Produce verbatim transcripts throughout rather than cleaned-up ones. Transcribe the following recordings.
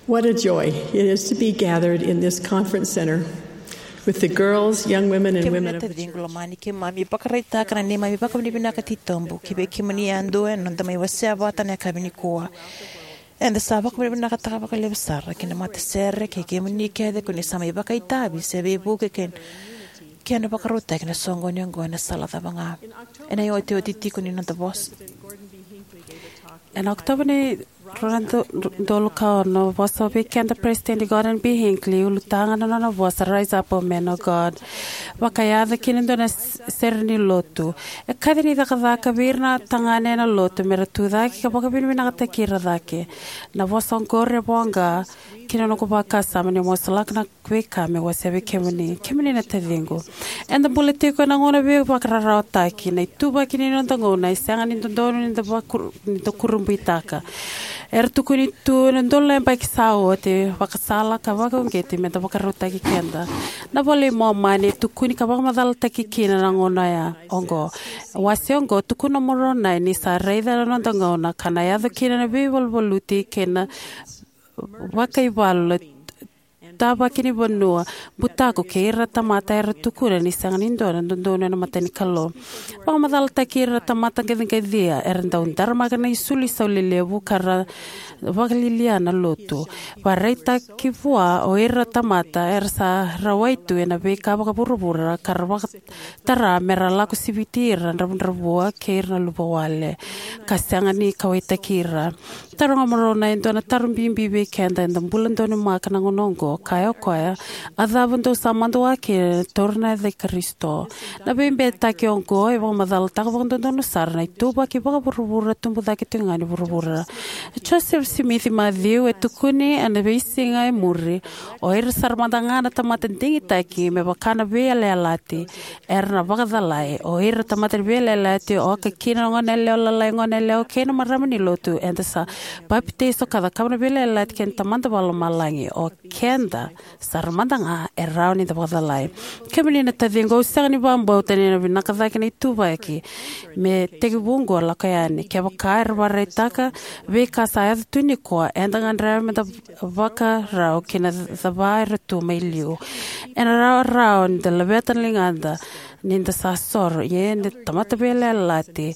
What a joy it is to be gathered in this conference center with the girls, young women, and women of the church. Kemuni na taciqu lomani, keimami vakaraitaka na neimami vakavinavinaka titobu ki vei kemuni yadua ena noda mai wasea vata ena yakavi nikua. Eda sa vakavinavinakataka vakalevu sara ki na matasere kei kemuni kece ko ni sa mai vakaitavi se veivuke kei kena vakarautaki na soqoni oqo ena sala cava ga. Ena iotioti tiko ni noda vosa. Ena Okotova ni rua na udolu ka ono, vosa vei keda President Gordon B. Hinckley, ulutaga na nona vosa Rise Up, O Men of God, vakayaco kina e dua na s-, sere ni lotu. E kaci ni cakacaka vei ira na tagane ena lotu me ra tu cake ka vakavinavinakataki ira cake. Na vosa oqori e voqa ki na noqu vakasama niu masulaka na veika meu wasea vei kemuni. Kemuni na taciqu, eda bula tiko ena gauna veivakararawataki. Na ituvaki ni noda gauna e sega ni dodonu ni da vakur-, ni da kurabuitaka. Era tukuni tu ena udolu na yabaki sa oti, vakasala ka vakauqeti me da vakarautaki keda. Na iVola i Momani e tukuni ka vakamacalataki kina na gauna ya oqo. Wase oqo, Tukuna o Moronai ni sa raica na noda gauna, ka na yaco kina na veivaluvaluti kei na vakaivalu, tavaki ni vanua, butako kei ira tamata era tukuna ni sega ni dua na dodonu ena mata ni Kalou. Vakamacalataki ira tamata qaciqacia era dau daramaka na isulu isau lelevu ka ra vakalialia na lotu. Vakaraitaki vua o ira tamata era sa rawai tu ena veika vakavuravura ka ra vakatara me ra lako siviti ira na dravudravua kei ira na luvawale ka sega ni kauwaitaki ira. Taroga o Moronai e dua na taro bibi vei keda eda bula donumaka na gauna oqo, kaya o koya, a cava dou sa madua kina ena taura na yaca i Karisito? Na veibeitaki oqo e vakamacalataka vakadodonu sara na ituvaki vakavuravura tubu cake tiko ga ni vuravura. Joseph Smith Matthew e tukuni ena veisiga e muri, o ira sara mada ga na tamata digitaki me vaka na veiyalayalati era na vakacalai. O ira tamata ni veiyalayalati, oka kina na goneyalewa lalai, goneyalewa kei na marama ni lotu, eda sa papitaiso ka cakava na veiyalayalati kei na Tamada Vakalomalagi. O keda sara mada ga e rawa ni da vakacalai. Kemuni na taciqu, au sega ni vakabauta ni na vinaka cake na ituvaki me tekivu oqo lako yani. Kevaka era vakaraitaka veika sa yaco tu nikua, eda gadreva me da vakarau ki na cava era tu mai liu. Ena rawarawa ni da laveta na ligada ni da sa soro, ia ni da tamata veiyalayalati,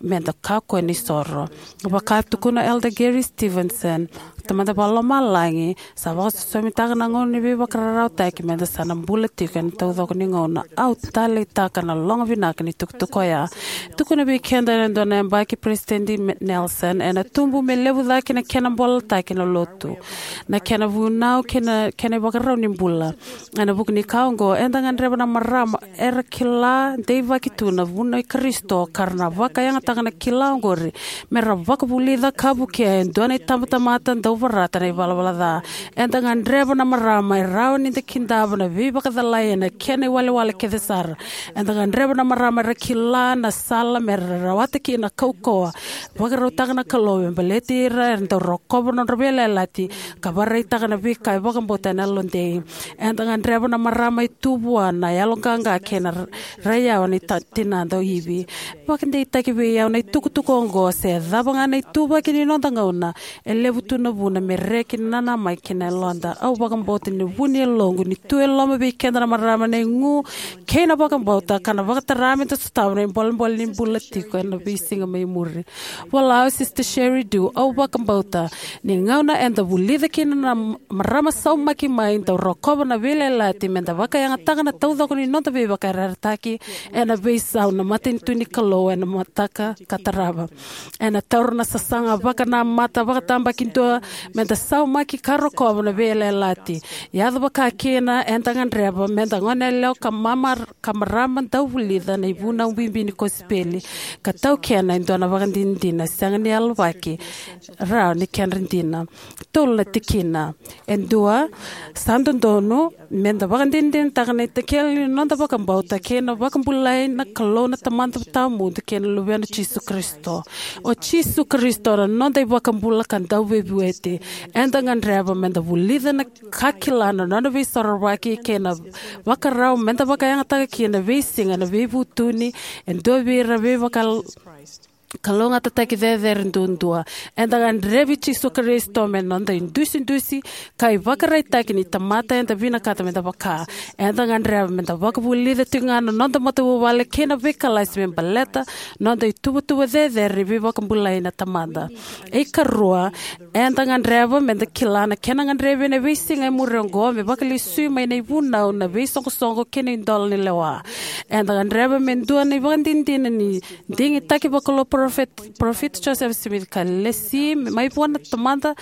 me da kakua ni soro. Vaka tukuna o Elder Gary Stevenson, Tamada Vakalomalagi sa vakasosomitaka na gauna ni veivakararawataki me da sa na bula tiko ena taucoko ni gauna. Au taleitaka na logo vinaka ni tukutuku oya. Tukuna vei keda ena dua na yabaki President Me-, Nelson, ena tubu me levu cake na kena bolataki na lotu, na kena vunau kei na kena ivakarau ni bula. Ena vuku ni ka oqo, eda gadreva na marama era kila deivaki tu na vunau i Karisito ka ra na vakayagataka na kila oqori me ra vakavulica ka vukea e dua na itabatamata dau vorata na ivalavala ca. Eda gadreva na marama e rawa ni da kidava na veivakacalai ena kena iwalewale kece sara. Eda gadreva na marama era kila na sala me ra rawata kina na kaukauwa vakarautaka na Kalou me baleti ira era dau rokova na nodra veiyalayalati ka vakaraitaka na veika e vakabauta ena yalodei. Eda gadreva na marama e tu vua na yaloqaqa kei na ra-, raiyawa ni ta-, tinada o Ivi. Vakadeitaki vei au na itukutuku oqo, se cava ga na ituvaki ni noda gauna, e levu tu na vuna me reki na nanamaki kina yaloda. Au vakabauta ni vu ni yaloqu ni tu e loma vei keda na marama na igu kei na vakabauta ka na vakatara me da sotava na ibolebole ni bula tiko ena veisiga mai muri. Vola o Sister Sherry Dew, au vakabauta ni gauna eda vulica kina na marama saumaki mai dau rokova na veiyalayalati me da vakayagataka na taucoko ni noda veivakayarayarataki ena veisau na matanitu ni Kalou ena mataka ka tarava. Ena taura na sasaga vakanamata vakatabakidua me da saumaki ka rokova na veiyalayalati. Yaco vaka kina, eda gadreva me da goneyalewa ka mamar-, ka marama dau vulica na ivunau bibi ni kosipeli ka taukena e dua na vakadinadina sega ni yalovaki rawa ni kedra dina. Tolu na tikina. E dua, sa dodonu me da vakadinadinataka na itakele ni noda vakabauta kei na vakabulai na Kalou na Tamada Tawamudu kei na Luvena o Jisu Karisito. O Jisu Karisito na noda iVakabula ka Dauveivueti. Eda gadreva me da vulica na ka kila na nona veisorovaki kei na vakarau me da vakayagataka kina na veisiga na veivutuni. E dua vei ira veivakal-, kalougatataki cecere duadua. Eda gadrevi Jisu Karisito me noda idusidusi ka ivakaraitaki ni tamata eda vinakata meda vaka. Eda gadreva meda vakavulica tiko ga na noda matavuvale kei na veikalasi me baleta noda ituvatuva cecere ni veivakabulai na Tamada. E karua, eda gadreva meda kila na kena gadrevi ena veisiga e muri oqo me vakalesui mai na ivunau, na veisoqosoqo kei na idola ni lewa. Eda gadreva me dua na ivakadinadina ni digitaki vakalou Parofita, Parofita Joseph Smith ka lesi mai vua na Tamada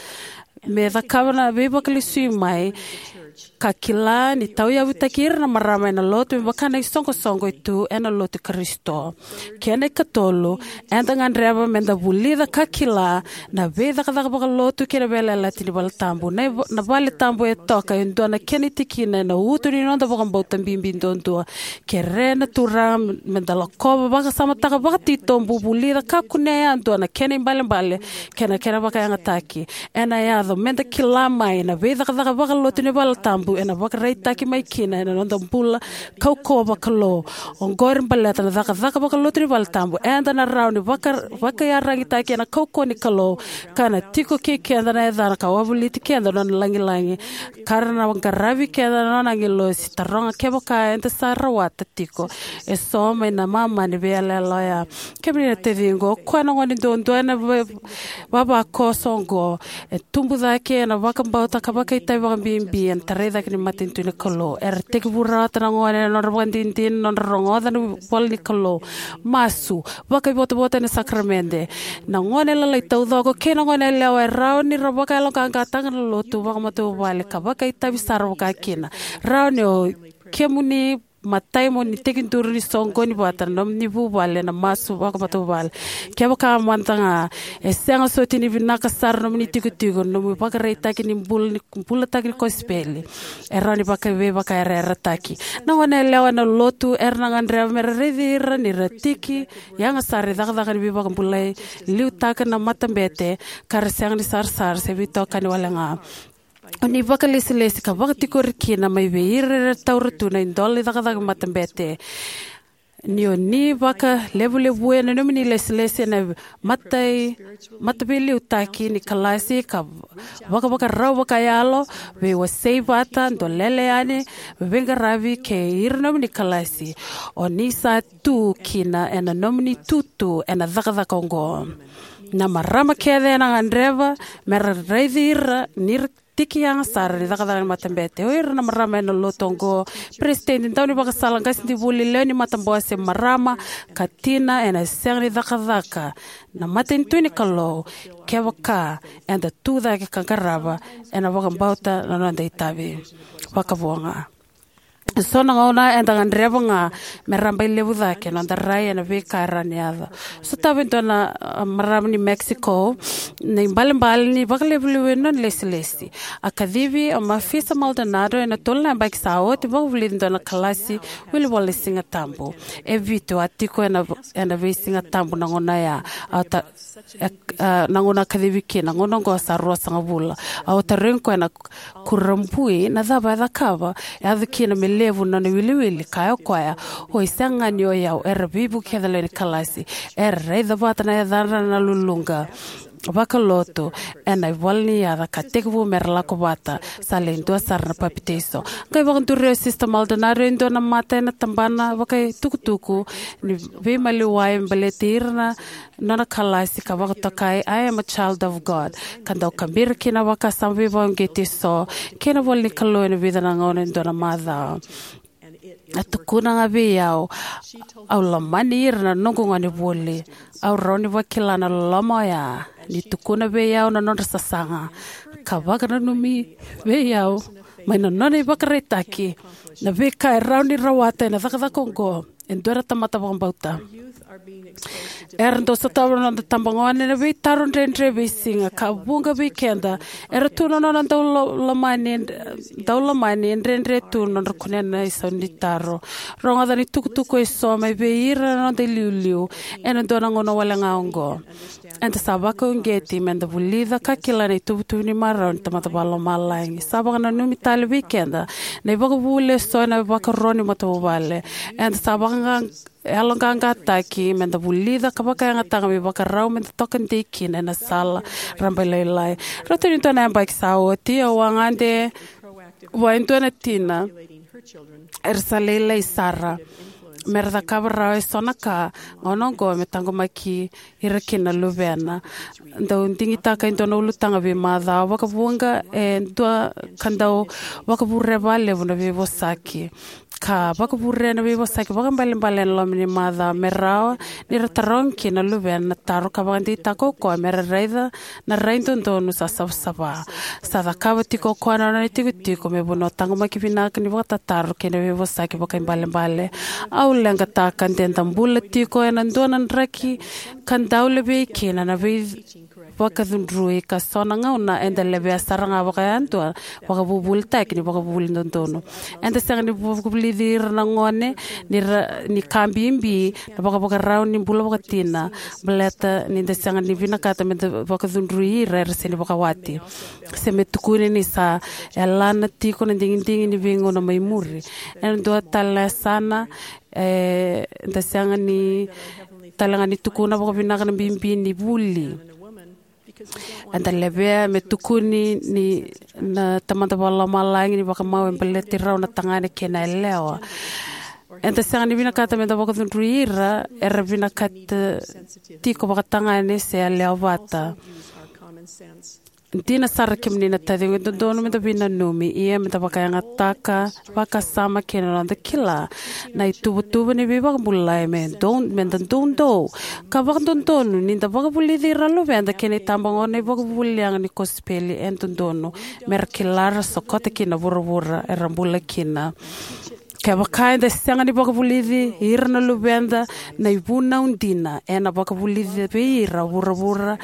me cakava na veivakalesui mai, ka kila ni tauyavutaki ira na marama ena lotu me vaka na isoqosoqo e tu ena lotu i Karisito. Kena ikatolu, eda gadreva meda vulica ka kila na veicakacaka vakalotu kei na veiyalayalati ni valetabu. Na, na valetabu e toka e dua na kena tikina ena utu ni noda vakabauta bibi duadua. Kerea na Turaga meda lakova, vakasamataka vakatitobu, vulica ka kunea yadua na kena ibalebale kei na kena vakayagataki. Ena yaco meda kila mai na veicakacaka vakalotu ni valetabu ena vakaraitaki mai kina ena noda bula kaukauwa vakalou. Oqori baleta na cakacaka vakalotu ni valetabu, eda na rawa ni vaka, vakaiyaragitaki ena kaukauwa ni Kalou, ka na tiko kei keda na yacana ka wavoliti keda na nona lagilagi, ka ra na qaravi keda na nona agilosi. Taroga kevaka eda sa rawata tiko eso mai na mama ni veiyaloyalo oya. Kemuni na taciqu, o koya na gone duadua ena va-, vavakoso oqo e tubu cake ena vakabauta ka vakaitavi vakabibi ena tarai cake ni matanitu ni Kalou. Era tekivu rawata na gone ena nodra vakadinadina, nodra rogoca na ivola ni Kalou, masu, vakaivotavota ena sakaramede. Na gone lalai taucoko kei na gone yalewa e rawa ni ra vakayaloqaqataka na lotu vakamatavuvale ka vakaitavi sara vakakina. Rawa ni o kemuni matai mo ni tekiduru ni soqoni vata na nomuni vuvale ena masu vakamatavuvale. Kevaka mada ga e sega soti ni vinaka sara nomuni tikotiko, nomu ivakaraitaki ni bula, ni bulataki ni kosipeli, e rawa ni vakaveivakayarayarataki. Na gone yalewa ena lotu era na gadreva mera raici ira ni ra tiki yaga sara i cakacaka ni veivakabulai, liutaka na matabete, ka ra sega ni sarasara se veitokani wale ga. O ni vakalesilesi ka vakatikori kina mai vei ira era taura tu na idola ni cakacaka matabete. Ni o ni vakalevulevuya na nomuni lesilesi ena matai, mataveiliutaki ni kalasi ka vakavakarau vakayalo, veiwasei vata, dolele yani, veiqaravi kei ira nomuni kalasi. O ni sa tu kina ena nomuni tutu ena cakacaka oqo. Na marama kece ena gadreva mera raici ira ni ra tiki yaga sara ni cakacaka ni matabete. O ira na marama ena lotu oqo, peresitedi, daunivakasala, qasenivuli, lewe ni matabose, marama ka tina, ena sega ni cakacaka na matanitu ni Kalou kevaka eda tu cake ka qarava ena vakabauta na noda itavi. Vakavo ga. Eso na gauna eda gadreva ga me rabailevu cake noda rai ena veika e rawa ni yaco. Sotava e dua na, a, marama ni Mexico na ibalebale ni vakalevulevu ena nona lesilesi. A kacivi o Mafisa Maldonado ena tolu na yabaki sa oti, vakavulici e dua na kalasi wilivola ni Siga Tabu. E vitu a tiko ena, ena veisiga tabu na gauna oya. A ta-, e, a, na gauna a kacivi kina, gauna oqo sa ruasagavulu. Au tarogi koya na kurabui na cava e cakava e yaco kina me levu na nona iwiliwili. Kaya o koya, oi, sega ga ni o yau, era veivuke kece lewe ni kalasi. Era raica vata na yacadra na luluqa vakalotu ena ivola ni yaca ka tekivu mera lako vata. Sa lai dua sara na papitaiso. Qai vakaduria o Sista Maldonado e dua na mata ena tabana vakaitukutuku ni veimaliwai me baleti ira na nona kalasi ka vakatokai I Am a Child of God, ka dau kabira kina vakasama veivakauqeti eso kei na ivola ni Kalou ena vica na gauna e dua na macawa. A tukuna ga vei au, au lomani ira na noqu gonevuli. Au rawa ni vakila na loloma oya ni tukuna vei au na nodra sasaga ka vakananumi vei au mai na nona ivakaraitaki na veika e rawa ni rawata ena cakacaka oqo e dua na tamata vakabauta. Era dau sotava na noda tabagone na veitaro dredre veisiga, ka vuqa vei keda era tu na nona dau lo-, lomani, dau lomani e dredre tu na nodra kunea na isau ni taro. Rogoca na itukutuku eso mai vei ira na noda iliuliu ena dua na gauna wale ga oqo. Eda sa vakauqeti meda vulica ka kila na ituvatuva ni marau ni Tamada Vakalomalagi. Sa vakananumi tale vei keda na ivakavuvuli eso ena ivakarau ni matavuvale. Eda sa vakaqa-, yaloqaqataki, me da vulica ka vakayagataka me vakarau me da toka dei kina ena sala rabailailai. Rauta ni dua na yabaki sa oti, au a gade vua e dua na tina era sa lailai sara me ra cakava rawa e so na ka gauna oqo me taqomaki ira kina na luvena. Dau digitaka e dua na ulutaga veimacawa, vakavuqa e dua ka dau vakavure vakalevu na veivosaki, ka vakavure na veivosaki vakaibalebale ena loma ni macawa me rawa ni ra taroga kina na luvena na taro ka vakadeitaka o koya me ra raica na rai dodonu sa savasava. Sa cakava tiko o koya na nona itikotiko me vanua taqomaki vinaka ni vakatataro kei na veivosaki vakaibalebale. Au leqataka de da bula tiko ena dua na draki ka dau levei kina na veivakacudrui, ka so na gauna eda levea sara ga vakayadua vakavuvulitaki ni vakavuvuli dodonu. Eda sega ni vakavulici ira na gone ni, ra, ni ka bibi na vakavakarau ni bula vakatina, baleta ni da sega ni vinakata me da vakacudrui ira era sega ni vakawati, se me tukuni ni sa yalana tiko na digidigi ni veigauna mai muri. Ena dua tale na yasana, e, da sega ni tale ga ni tukuna vakavinaka na bibi ni vuli. Eda levea me tukuni ni na Tamada Vakalomalagi ni vakamau e baleti rau na tagane kei na yalewa. Eda sega ni vinakata me da vakacudrui ira era vinakata tiko vakatagane se yalewa vata. Dina sara, kemuni na taciqu, e dodonu me da veinanumi, ia me da vakayagataka vakasama kei na noda kila na ituvatuva ni veivakabulai me dou, me da doudou ka vakadodonu ni da vakavulici ira na luveda kei na itabagone ivakavuvuli yaga ni kosipeli e dodonu me ra kila, ra sokota kina na vuravura era bula kina. Kevaka eda sega ni vakavulici ira na luveda, na ivunau dina ena vakavulici vei ira vuravura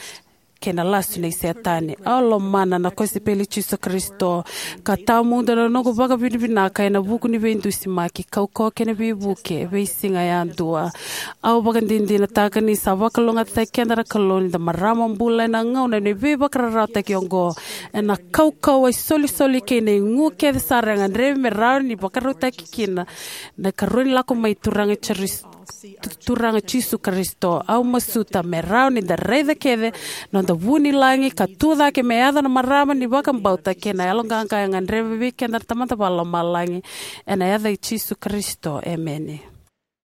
kei na lasu nei Setani. Au lomana na kosipeli i Jisu Karisito, ka tawamudu na noqu vakavinavinaka ena vuku ni veidusimaki, kaukauwa kei na veivuke veisiga yadua. Au vakadinadinataka ni sa vakalougatataki keda na Kalou ni da marama bula ena gauna ni veivakararawataki oqo, ena kaukauwa, isolisoli kei na igu kece sara e gadrevi me rawa ni vakarautaki kina na ikarua ni lako mai Turaga Jiris-, Turaga Jisu Karisito. Au masuta me rawa ni da raica kece na noda vunilagi ka tu cake me yaco na marama ni vakabauta kei na yaloqaqa e gadreva vei keda na Tamada Vakalomalagi. Ena yaca i Jisu Karisito, emeni.